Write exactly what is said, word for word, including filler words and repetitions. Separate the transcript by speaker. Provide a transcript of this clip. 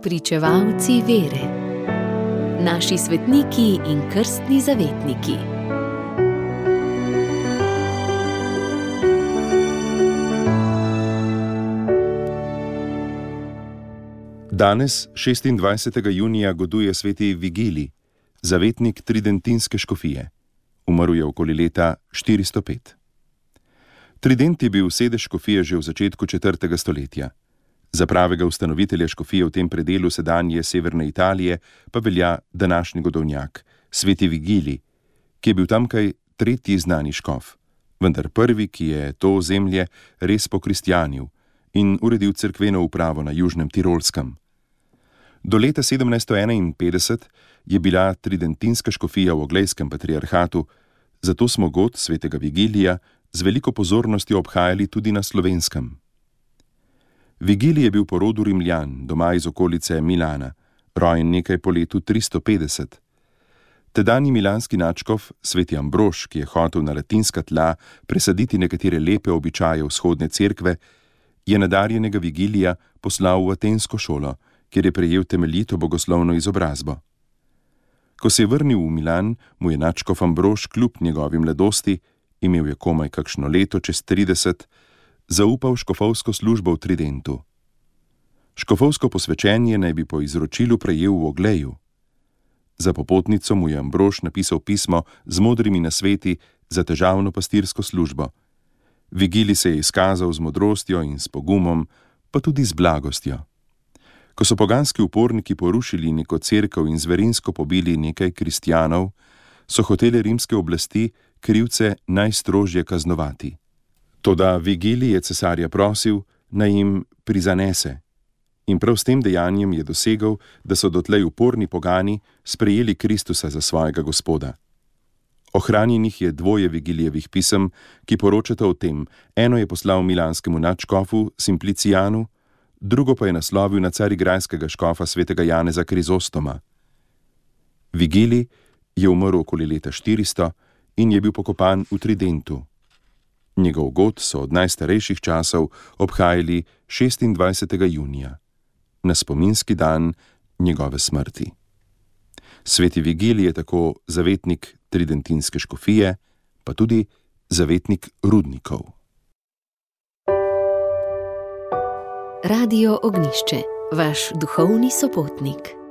Speaker 1: Pričevalci vere. Naši svetniki in krstni zavetniki.
Speaker 2: Danes, šestindvajsetega junija, goduje sveti Vigilij, zavetnik tridentinske škofije. Umrl je okoli leta štiristo pet. Trident je bil sedež škofije že v začetku četrtega stoletja. Za pravega ustanovitelja škofije v tem predelu sedanje severne Italije pa velja današnji godovnjak, sveti Vigilij, ki je bil tamkaj tretji znani škof, vendar prvi, ki je to ozemlje res pokristjanil in uredil cerkveno upravo na južnem Tirolskem. Do leta sedemnajststo enainpetdeset je bila tridentinska škofija v Oglejskem patriarhatu, zato smo god svetega Vigilija z veliko pozornostjo obhajali tudi na Slovenskem. Vigilij je bil po rodu Rimljan, doma iz okolice Milana, rojen nekaj po letu tristo petdeset. Tedanji milanski nadškof, sveti Ambrož, ki je hotel na latinska tla presaditi nekatere lepe običaje vzhodne cerkve, je nadarjenega Vigilija poslal v atensko šolo, kjer je prejel temeljito bogoslovno izobrazbo. Ko se je vrnil v Milan, mu je nadškof Ambrož kljub njegovi mladosti, imel je komaj kakšno leto čez trideset, zaupal škofovsko službo v Tridentu. Škofovsko posvečenje naj bi po izročilu prejel v Ogleju. Za popotnico mu je Ambrož napisal pismo z modrimi nasveti za težavno pastirsko službo. Vigilij se je izkazal z modrostjo in s pogumom, pa tudi z blagostjo. Ko so poganski uporniki porušili neko cerkev in zverinsko pobili nekaj kristjanov, so hotele rimske oblasti krivce najstrožje kaznovati. Toda Vigilij je cesarja prosil, naj jim prizanese. In prav s tem dejanjem je dosegel, da so dotlej uporni pogani sprejeli Kristusa za svojega gospoda. Ohranjenih je dvoje Vigilijevih pisem, ki poročata o tem. Eno je poslal milanskemu nadškofu Simplicijanu, drugo pa je naslovil na carigrajskega škofa svetega Janeza Krizostoma. Vigilij je umrl okoli leta štiristo in je bil pokopan v Tridentu. Njegov god so od najstarejših časov obhajali šestindvajsetega junija, na spominski dan njegove smrti. Sveti Vigilij je tako zavetnik tridentinske škofije, pa tudi zavetnik rudnikov.
Speaker 1: Radio Ognjišče, vaš duhovni sopotnik.